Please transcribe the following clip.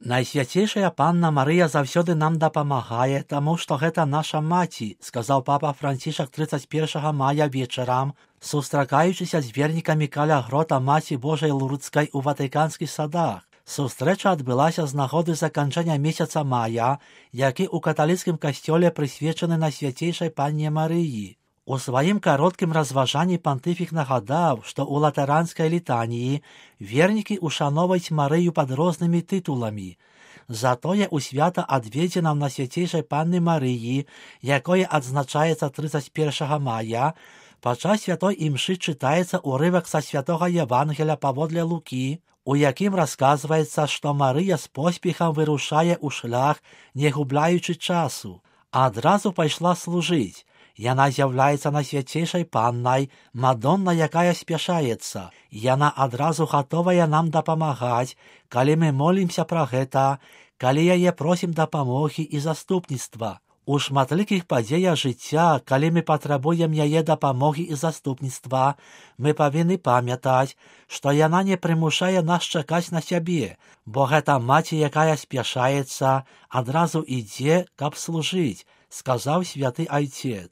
Найсвяцейшая Панна Марыя заўсёды нам дапамагае, таму што гэта наша маці, сказаў папа Францішак 31 мая вечарам, сустракаючыся з вернікамі каля грота Маці Божай Лурдскай у Ватыканскіх садах. Сустрэча адбылася з нагоды заканчэння месяца мая, які ў каталіцкім касцёле прысвечаны Найсвяцейшай Панне Марыі. У сваім кароткім разважанні пантыфік нагадаў, што ў латаранскай літаніі вернікі ушаноўваюць Марыю пад рознымі тытуламі. Затое ў свята адведзена Найсвяцейшай Панны Марыі, якое адзначаецца 31 мая, падчас святой імшы чытаецца ўрывак са святога Евангеля паводле Лукі, у якім расказваецца, што Марыя з поспехам вырушае ў шлях, не губляючы часу. Адразу пайшла служыць. Яна з'яўляецца Найсвяцейшай Паннай, Мадонна, якая спяшаецца. Яна адразу гатовая нам дапамагаць, калі мы молімся пра гэта, калі яе просім дапамогі і заступніцтва. У шматлікіх падзеях жыцця, калі мы патрабуем яе дапамогі і заступніцтва, мы павінны памятаць, што яна не прымушае нас чакаць на сябе, бо гэта маці, якая спяшаецца, адразу ідзе, каб служыць, сказаў святы айцец.